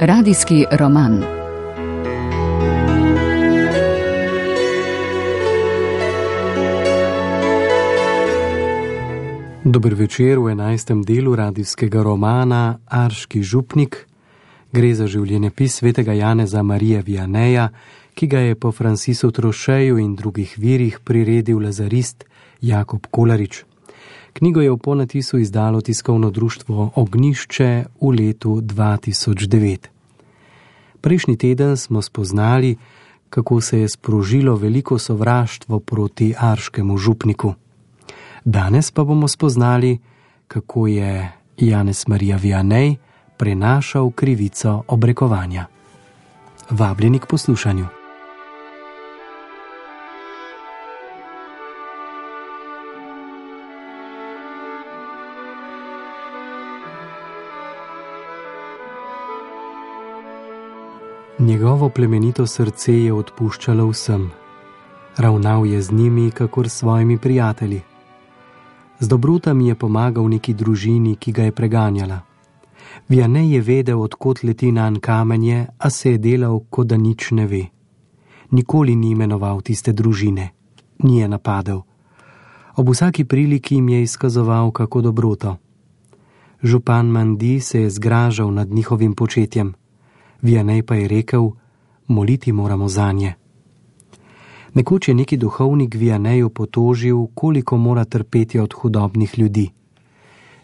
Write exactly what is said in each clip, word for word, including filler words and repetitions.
Radijski roman. Dober večer v enajstem delu radijskega romana Arški župnik. Gre za življenjepis svetega Janeza Marija Vianeja, ki ga je po Francisu Trošeju in drugih virih priredil lazarist Jakob Kolarič. Knjigo je v ponatisu izdalo tiskovno društvo Ognjišče v letu dva tisoč devet. Prejšnji teden smo spoznali, kako se je sprožilo veliko sovraštvo proti arškemu župniku. Danes pa bomo spoznali, kako je Janez Marija Vianej prenašal krivico obrekovanja. Vabljeni k poslušanju. Njegovo plemenito srce je odpuščalo vsem. Ravnal je z njimi, kakor s svojimi prijatelji. Z dobrotami je pomagal neki družini, ki ga je preganjala. Vianej je vedel, odkot leti nanj kamenje, a se je delal, kot da nič ne ve. Nikoli ni imenoval tiste družine, ni je napadel. Ob vsaki priliki jim je izkazoval kako dobroto. Župan Mandi se je zgražal nad njihovim početjem. Vianej pa je rekel, moliti moramo zanje. Nekoč je neki duhovnik Vianeju potožil, koliko mora trpeti od hudobnih ljudi.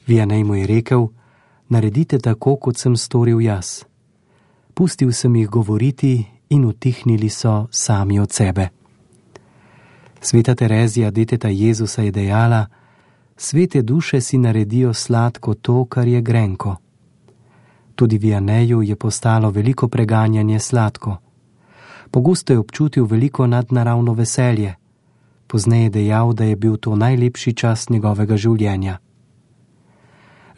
Vianej mu je rekel, naredite tako, kot sem storil jaz. Pustil sem jih govoriti in utihnili so sami od sebe. Sveta Terezija, deteta Jezusa, je dejala, svete duše si naredijo sladko to, kar je grenko. Tudi Vianeju je postalo veliko preganjanje sladko. Pogosto je občutil veliko nadnaravno veselje. Pozneje je dejal, da je bil to najlepši čas njegovega življenja.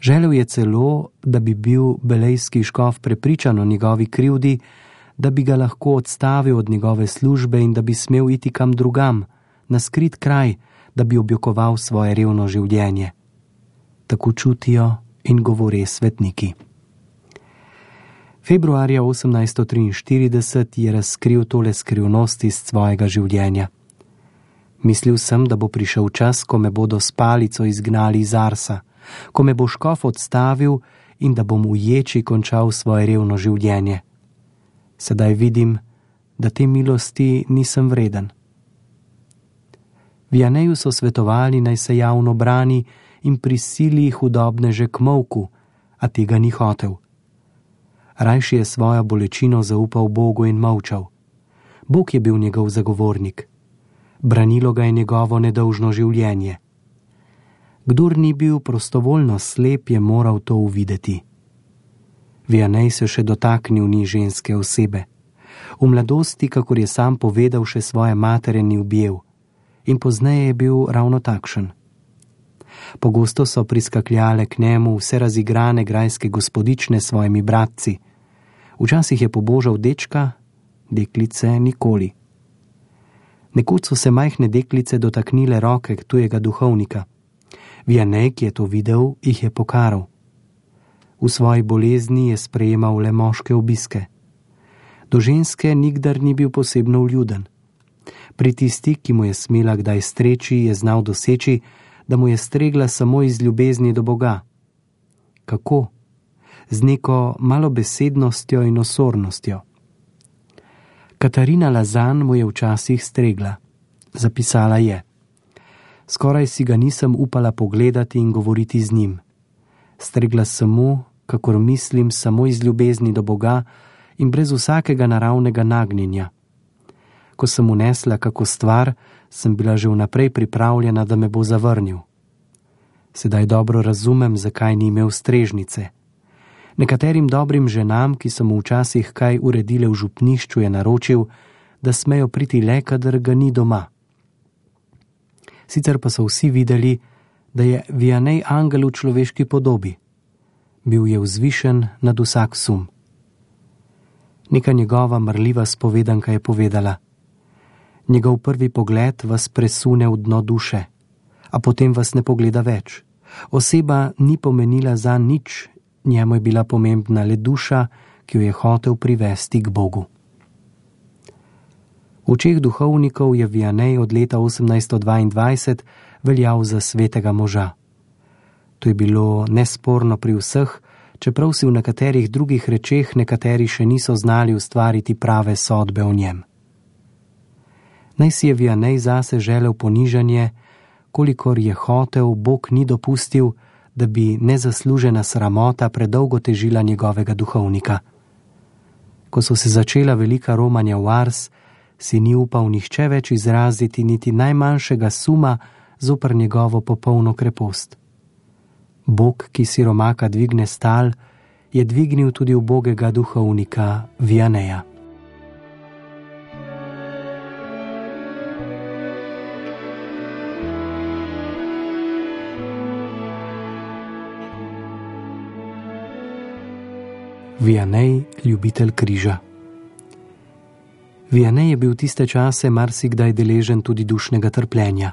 Želel je celo, da bi bil belejski škof prepričan o njegovi krivdi, da bi ga lahko odstavil od njegove službe in da bi smel iti kam drugam, na skrit kraj, da bi objokoval svoje revno življenje. Tako čutijo in govore svetniki. Februarja osemnajststo triinštirideset je razkril tole skrivnost iz svojega življenja. Mislil sem, da bo prišel čas, ko me bodo s palico izgnali iz Arsa, ko me bo škof odstavil in da bom v ječi končal svoje revno življenje. Sedaj vidim, da te milosti nisem vreden. Vianeju so svetovali, naj se javno brani in prisili hudobneže k molku, a tega ni hotel. Rajši je svojo bolečino zaupal Bogu in molčal. Bog je bil njegov zagovornik. Branilo ga je njegovo nedolžno življenje. Kdor ni bil prostovoljno slep, je moral to uvideti. Vianej se še dotaknil ni ženske osebe. V mladosti, kakor je sam povedal, še svoje matere ni objel. In pozneje je bil ravno takšen. Pogosto so priskakljale k njemu vse razigrane grajske gospodične s svojimi bratci. Včasih je pobožal dečka, deklice nikoli. Nekoč so se majhne deklice dotaknile roke tujega duhovnika. Vianej, ki je to videl, jih je pokaral. V svoji bolezni je sprejemal le moške obiske. Do ženske nikdar ni bil posebno vljuden. Pri tisti, ki mu je smela kdaj streči, je znal doseči, da mu je stregla samo iz ljubezni do Boga. Kako? Z neko malobesednostjo in osornostjo. Katarina Lazan mu je včasih stregla. Zapisala je: skoraj si ga nisem upala pogledati in govoriti z njim. Stregla sem mu, kakor mislim, samo iz ljubezni do Boga in brez vsakega naravnega nagnjenja. Ko sem unesla kako stvar, sem bila že vnaprej pripravljena, da me bo zavrnil. Sedaj dobro razumem, zakaj ni imel strežnice. Nekaterim dobrim ženam, ki so mu včasih kaj uredile v župnišču, je naročil, da smejo priti le, kadar ga ni doma. Sicer pa so vsi videli, da je Vianej angel v človeški podobi. Bil je vzvišen nad vsak sum. Neka njegova marljiva spovedanka je povedala: njegov prvi pogled vas presune v dno duše, a potem vas ne pogleda več. Oseba ni pomenila za nič, njemu je bila pomembna le duša, ki jo je hotel privesti k Bogu. V očeh duhovnikov je Vianney od leta osemnajststo dvaindvajset veljal za svetega moža. To je bilo nesporno pri vseh, čeprav si v nekaterih drugih rečeh nekateri še niso znali ustvariti prave sodbe o njem. Naj si je Vianney zase želel ponižanje, kolikor je hotel, Bog ni dopustil, da bi nezaslužena sramota predolgo težila njegovega duhovnika. Ko so se začela velika romanja v Ars, si ni upal nihče več izraziti niti najmanjšega suma zoper njegovo popolno krepost. Bog, ki siromaka dvigne stal, je dvignil tudi ubogega duhovnika Vianneya. Vianney, ljubitelj križa. Vianney je bil tiste čase marsikdaj deležen tudi dušnega trpljenja.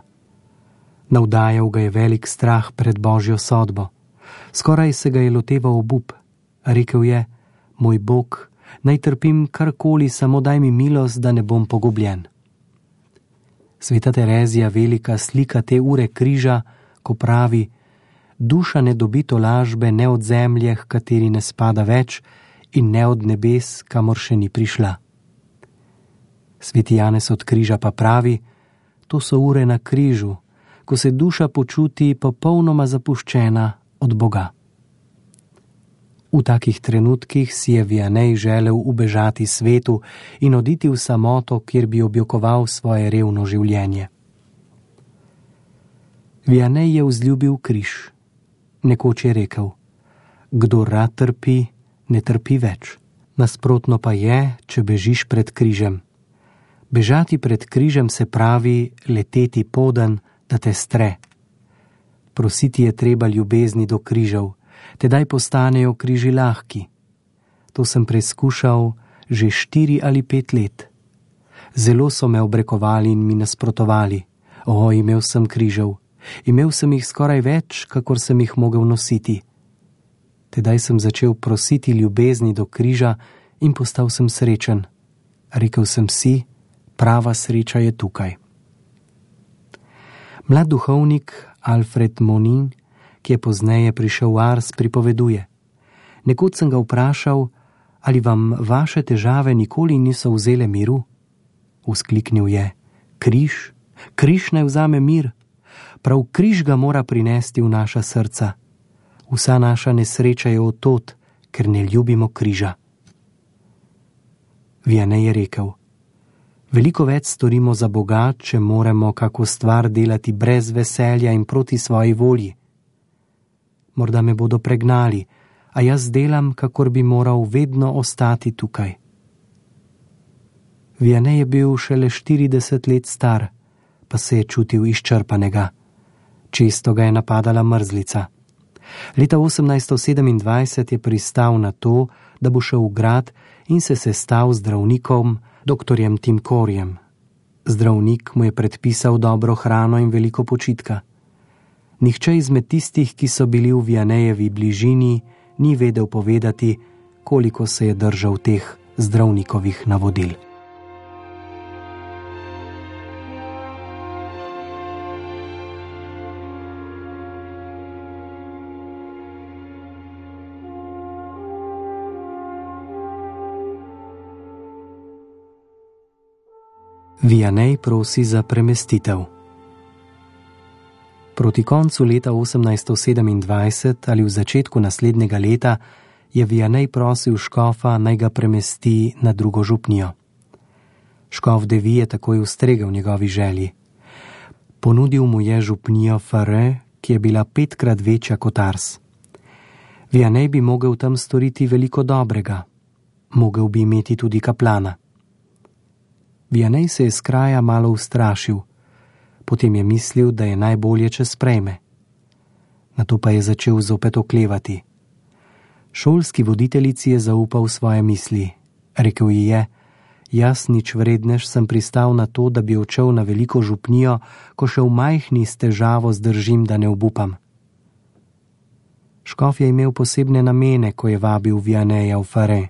Navdajal ga je velik strah pred Božjo sodbo. Skoraj se ga je loteval obup. Rekel je: moj Bog, naj trpim karkoli, samo daj mi milost, da ne bom pogubljen. Sveta Terezija velika slika te ure križa, ko pravi: duša ne dobi tolažbe ne od zemlje, h kateri ne spada več, in ne od nebes, kamor še ni prišla. Sveti Janez od križa pa pravi: to so ure na križu, ko se duša počuti popolnoma zapuščena od Boga. V takih trenutkih si je Vianney želel ubežati svetu in oditi v samoto, kjer bi objokoval svoje revno življenje. Vianney je vzljubil križ. Nekoč je rekel: kdor rad trpi, ne trpi več. Nasprotno pa je, če bežiš pred križem. Bežati pred križem se pravi leteti poden, da te stre. Prositi je treba ljubezni do križev, tedaj postanejo križi lahki. To sem preizkušal že štiri ali pet let. Zelo so me obrekovali in mi nasprotovali. O, imel sem križev. Imel sem jih skoraj več, kakor sem jih mogel nositi. Tedaj sem začel prositi ljubezni do križa in postal sem srečen. Rekel sem si, prava sreča je tukaj. Mlad duhovnik Alfred Monin, ki je pozneje prišel v Ars, pripoveduje: nekoč sem ga vprašal, ali vam vaše težave nikoli niso vzele miru? Vzkliknil je: križ, križ naj vzame mir. Prav križ ga mora prinesti v naša srca. Vsa naša nesreča je od tod, ker ne ljubimo križa. Vianney je rekel: veliko več storimo za Boga, če moramo kako stvar delati brez veselja in proti svoji volji. Morda me bodo pregnali, a jaz delam, kakor bi moral vedno ostati tukaj. Vianney je bil šele štirideset let star, pa se je čutil izčrpanega. Često ga je napadala mrzlica. Leta osemnajststo sedemindvajset je pristal na to, da bo šel v grad in se sestal z zdravnikom, doktorjem Timkorjem. Zdravnik mu je predpisal dobro hrano in veliko počitka. Nihče izmed tistih, ki so bili v Vianneyjevi bližini, ni vedel povedati, koliko se je držal teh zdravnikovih navodil. Vianney prosi za premestitev. Proti koncu leta osemnajststo sedemindvajset ali v začetku naslednjega leta je Vianney prosil škofa, naj ga premesti na drugo župnijo. Škof Devi je takoj ustregel njegovi želji. Ponudil mu je župnijo Fare, ki je bila petkrat večja kot Ars. Vianney bi mogel tam storiti veliko dobrega. Mogel bi imeti tudi kaplana. Vianney se je s kraja malo ustrašil, potem je mislil, da je najbolje, če sprejme. Nato pa je začel zopet oklevati. Šolski voditeljici je zaupal svoje misli. Rekel ji je: jaz nič vrednež sem pristal na to, da bi odšel na veliko župnijo, ko še v majhni s težavo zdržim, da ne obupam. Škof je imel posebne namene, ko je vabil Vianneyja v Fare.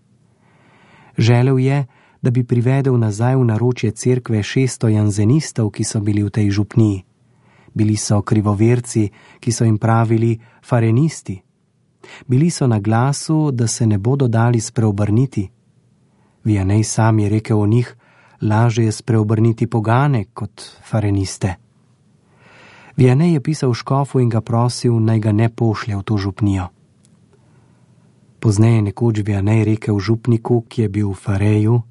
Želel je, da bi privedel nazaj v naročje cerkve šeststo janzenistov, ki so bili v tej župniji. Bili so krivoverci, ki so jim pravili farenisti. Bili so na glasu, da se ne bodo dali spreobrniti. Vianney sam je rekel o njih, lažje je spreobrniti pogane kot fareniste. Vianney je pisal škofu in ga prosil, naj ga ne pošlje v to župnijo. Pozneje nekoč Vianney rekel župniku, ki je bil v Fareju: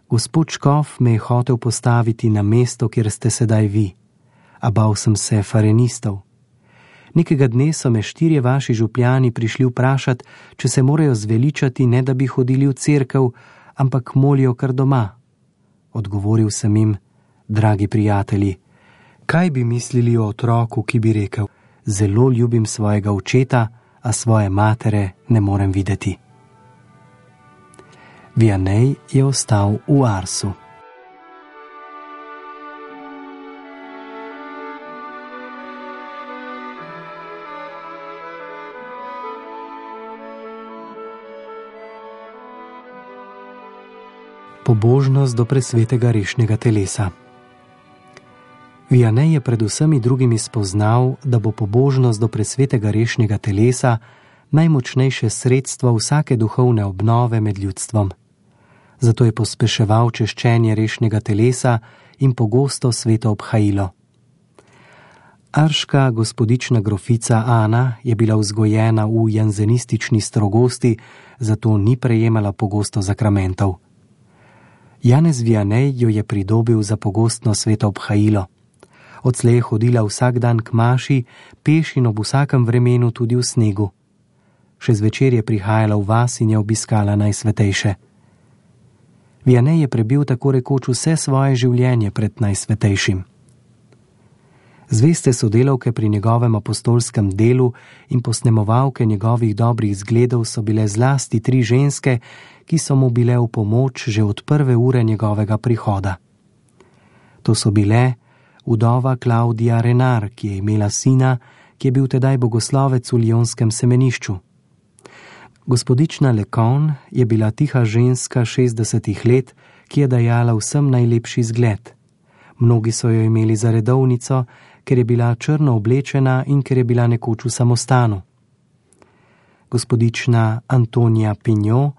Gospod škof me je hotel postaviti na mesto, kjer ste sedaj vi, a bal sem se farenistov. Nekega dne so me štirje vaši župljani prišli vprašati, če se morajo zveličati, ne da bi hodili v cerkev, ampak molijo kar doma. Odgovoril sem jim: dragi prijatelji, kaj bi mislili o otroku, ki bi rekel: zelo ljubim svojega očeta, a svoje matere ne morem videti. Vianney je ostal v Arsu. Pobožnost do presvetega rešnjega telesa. Vianney je pred vsemi drugimi spoznal, da bo pobožnost do presvetega rešnjega telesa najmočnejše sredstvo vsake duhovne obnove med ljudstvom. Zato je pospeševal češčenje rešnjega telesa in pogosto sveto obhajilo. Arška gospodična grofica Ana je bila vzgojena v janzenistični strogosti, zato ni prejemala pogosto zakramentov. Janez Vianney jo je pridobil za pogostno sveto obhajilo. Odslej je hodila vsak dan k maši, peš in ob vsakem vremenu tudi v snegu. Še zvečer je prihajala v vas in je obiskala najsvetejše. Vianney je prebil tako rekoč vse svoje življenje pred najsvetejšim. Zveste sodelavke pri njegovem apostolskem delu in posnemovalke njegovih dobrih zgledov so bile zlasti tri ženske, ki so mu bile v pomoč že od prve ure njegovega prihoda. To so bile vdova Klaudija Renar, ki je imela sina, ki je bil tedaj bogoslovec v Lyonskem semenišču. Gospodična Lecon je bila tiha ženska šestdesetih let, ki je dajala vsem najlepši zgled. Mnogi so jo imeli za redovnico, ker je bila črno oblečena in ker je bila nekoč v samostanu. Gospodična Antonija Pignot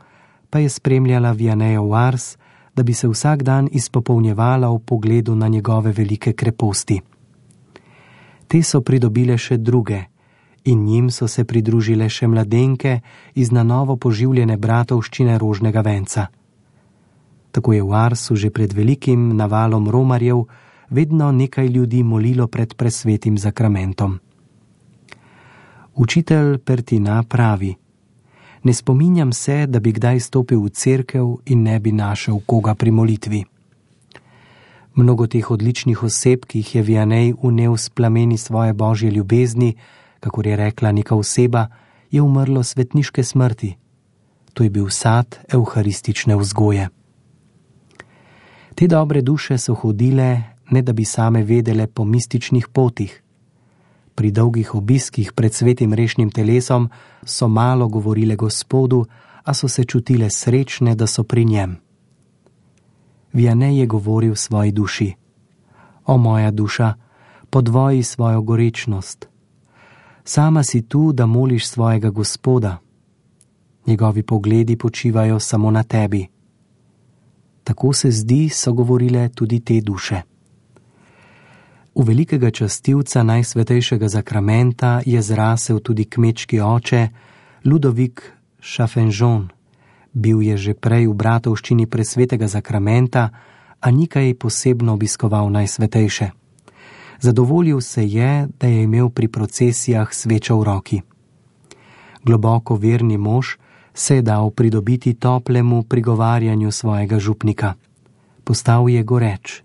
pa je spremljala Vianneya v Ars, da bi se vsak dan izpopolnjevala v pogledu na njegove velike kreposti. Te so pridobile še druge in njim so se pridružile še mladenke iz na novo poživljene bratovščine Rožnega venca. Tako je v Arsu že pred velikim navalom romarjev vedno nekaj ljudi molilo pred presvetim zakramentom. Učitelj Pertina pravi: ne spominjam se, da bi kdaj stopil v cerkev in ne bi našel koga pri molitvi. Mnogo teh odličnih oseb, ki jih je Vianney vnel s plameni svoje božje ljubezni, kakor je rekla neka oseba, je umrlo svetniške smrti. To je bil sad evharistične vzgoje. Te dobre duše so hodile, ne da bi same vedele, po mističnih potih. Pri dolgih obiskih pred svetim rešnim telesom so malo govorile Gospodu, a so se čutile srečne, da so pri njem. Vianney je govoril svoji duši: o moja duša, podvoji svojo gorečnost. Sama si tu, da moliš svojega Gospoda. Njegovi pogledi počivajo samo na tebi. Tako se zdi, so govorile tudi te duše. V velikega častilca najsvetejšega zakramenta je zrasel tudi kmečki oče Ludovik Chafenjon. Bil je že prej v bratovščini presvetega zakramenta, a ni kaj posebno obiskoval najsvetejše. Zadovoljil se je, da je imel pri procesijah svečo v roki. Globoko verni mož se je dal pridobiti toplemu prigovarjanju svojega župnika. Postal je goreč.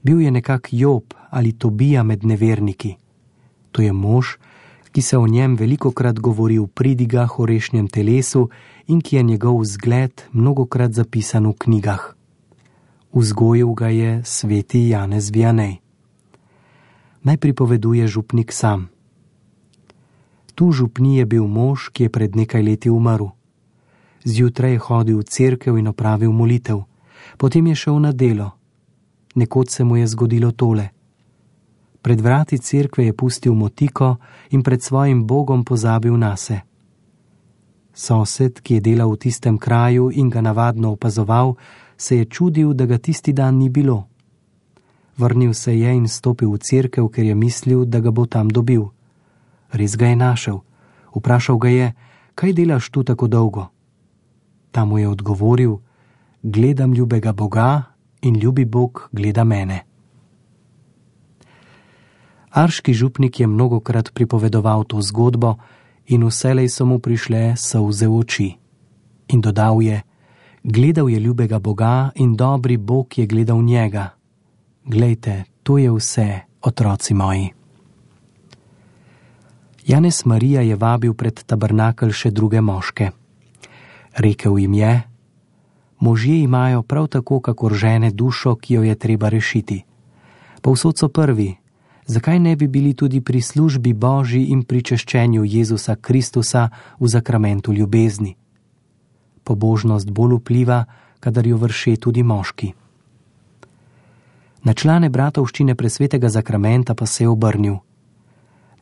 Bil je nekak Job ali Tobija med neverniki. To je mož, ki se o njem velikokrat govori v pridigah o rešnjem telesu in ki je njegov zgled mnogokrat zapisan v knjigah. Vzgojil ga je sveti Janez Vianney. Naj pripoveduje župnik sam. Tu župni je bil mož, ki je pred nekaj leti umrl. Zjutraj je hodil v cerkev in opravil molitev, potem je šel na delo. Nekoč se mu je zgodilo tole. Pred vrati cerkve je pustil motiko in pred svojim Bogom pozabil nase. Sosed, ki je delal v tistem kraju in ga navadno opazoval, se je čudil, da ga tisti dan ni bilo. Vrnil se je in stopil v cerkev, ker je mislil, da ga bo tam dobil. Res ga je našel. Vprašal ga je, kaj delaš tu tako dolgo? Ta mu je odgovoril, gledam ljubega Boga in ljubi Bog gleda mene. Arški župnik je mnogokrat pripovedoval to zgodbo in vselej so mu prišle solze v oči. In dodal je, gledal je ljubega Boga in dobri Bog je gledal njega. Glejte, to je vse, otroci moji. Janez Marija je vabil pred tabernakelj še druge moške. Rekel jim je, možje imajo prav tako, kakor žene, dušo, ki jo je treba rešiti. Povsod so prvi, zakaj ne bi bili tudi pri službi Božji in pri češčenju Jezusa Kristusa v zakramentu ljubezni? Pobožnost bolj vpliva, kadar jo vrši tudi moški. Na člane bratovščine presvetega zakramenta pa se je obrnil.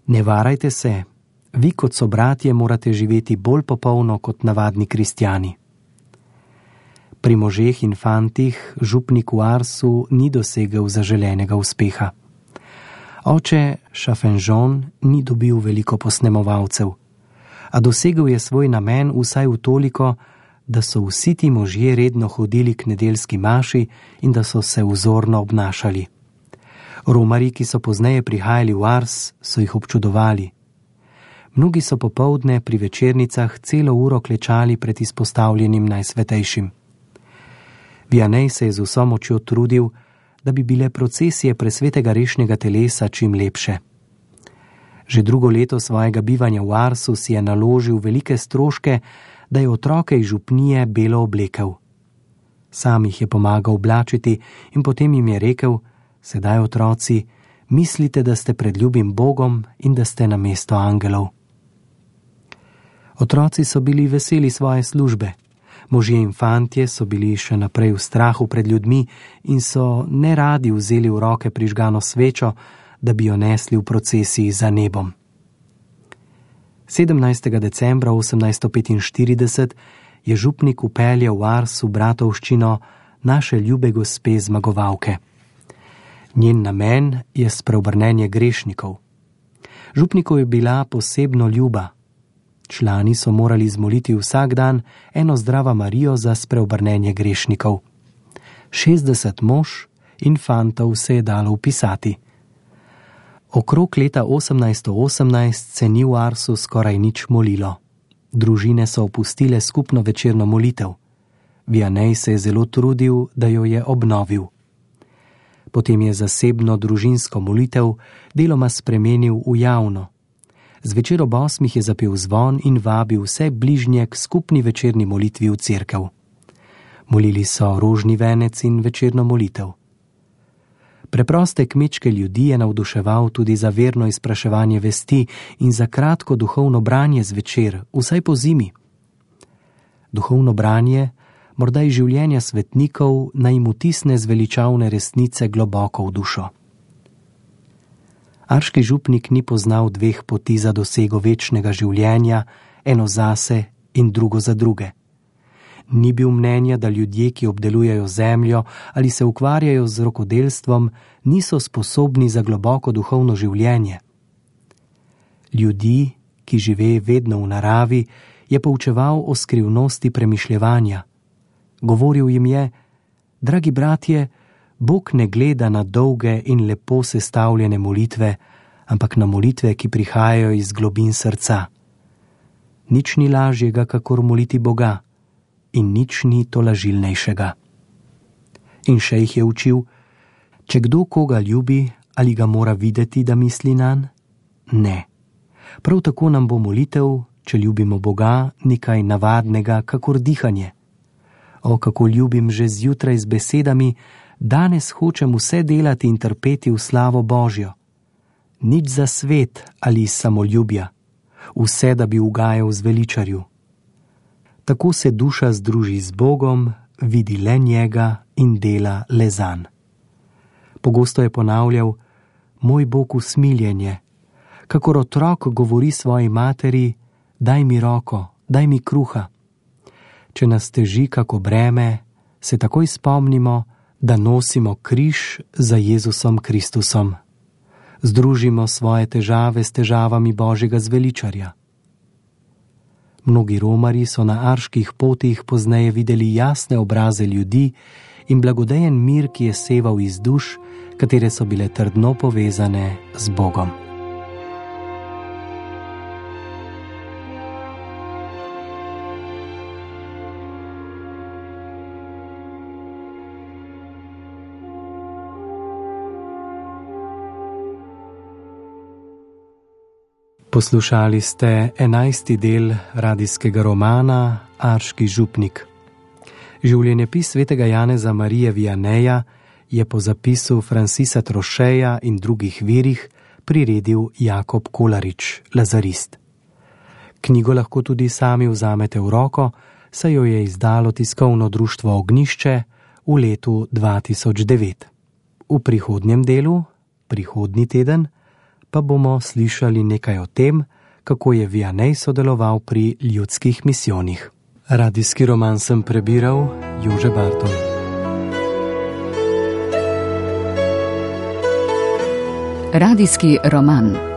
Ne varajte se, vi kot sobratje morate živeti bolj popolno kot navadni kristjani. Pri možeh in fantih župnik v Arsu ni dosegel zaželenega uspeha. Oče Šafenžon ni dobil veliko posnemovalcev, a dosegel je svoj namen vsaj v toliko, da so vsi ti možje redno hodili k nedeljski maši in da so se vzorno obnašali. Romarji, ki so pozneje prihajali v Ars, so jih občudovali. Mnogi so popoldne pri večernicah celo uro klečali pred izpostavljenim najsvetejšim. Vianej se je z vso močjo trudil, da bi bile procesije presvetega rešnjega telesa čim lepše. Že drugo leto svojega bivanja v Arsu si je naložil velike stroške, da je otroke iz župnije belo oblekel. Sam jih je pomagal oblačiti in potem jim je rekel, sedaj otroci, mislite, da ste pred ljubim Bogom in da ste namesto angelov. Otroci so bili veseli svoje službe. Možje in fantje so bili še naprej v strahu pred ljudmi in so neradi vzeli v roke prižgano svečo, da bi jo nesli v procesiji za nebom. sedemnajstega decembra osemnajststo petinštirideset je župnik vpeljal v Ars v bratovščino naše ljube gospe zmagovalke. Njen namen je spreobrnenje grešnikov. Župniku je bila posebno ljuba. Člani so morali zmoliti vsak dan eno zdrava Marijo za spreobrnenje grešnikov. šestdeset mož in fantov se je dalo vpisati. Okrog leta osemnajststo osemnajst se ni v Arsu skoraj nič molilo. Družine so opustile skupno večerno molitev. Vianej se je zelo trudil, da jo je obnovil. Potem je zasebno družinsko molitev deloma spremenil v javno. Zvečer ob osmih je zapel zvon in vabil vse bližnje k skupni večerni molitvi v cerkev. Molili so rožni venec in večerno molitev. Preproste kmečke ljudi je navduševal tudi za verno izpraševanje vesti in za kratko duhovno branje zvečer, vsaj po zimi. Duhovno branje, morda iz življenja svetnikov, naj jim vtisne zveličavne resnice globoko v dušo. Arški župnik ni poznal dveh poti za dosego večnega življenja, eno zase in drugo za druge. Ni bil mnenja, da ljudje, ki obdelujejo zemljo ali se ukvarjajo z rokodelstvom, niso sposobni za globoko duhovno življenje. Ljudi, ki žive vedno v naravi, je poučeval o skrivnosti premišljevanja. Govoril jim je, dragi bratje, Bog ne gleda na dolge in lepo sestavljene molitve, ampak na molitve, ki prihajajo iz globin srca. Nič ni lažjega, kakor moliti Boga, in nič ni tolažilnejšega. In še jih je učil, če kdo koga ljubi, ali ga mora videti, da misli nanj? Ne. Prav tako nam bo molitev, če ljubimo Boga, nekaj navadnega, kakor dihanje. O, kako ljubim že zjutraj z besedami, danes hočem vse delati in trpeti v slavo Božjo. Nič za svet ali samoljubja, vse, da bi ugajal zveličarju. Tako se duša združi z Bogom, vidi le njega in dela le zanj. Pogosto je ponavljal: moj Bog usmiljenje, kakor otrok govori svoji materi: daj mi roko, daj mi kruha. Če nas teži kako breme, se takoj spomnimo, da nosimo križ za Jezusom Kristusom. Združimo svoje težave s težavami Božjega zveličarja. Mnogi romarji so na arških potih pozneje videli jasne obraze ljudi in blagodejen mir, ki je seval iz duš, katere so bile trdno povezane z Bogom. Poslušali ste enajsti del radijskega romana Arški župnik. Življenjepis svetega Janeza Marije Vianeja je po zapisu Francisa Trocheja in drugih virih priredil Jakob Kolarič, lazarist. Knjigo lahko tudi sami vzamete v roko, saj jo je izdalo tiskovno društvo Ognjišče v letu dva tisoč devet. V prihodnjem delu, prihodnji teden, pa bomo slišali nekaj o tem, kako je Vianej sodeloval pri ljudskih misijonih. Radijski roman sem prebiral Jože Barton. Radijski roman.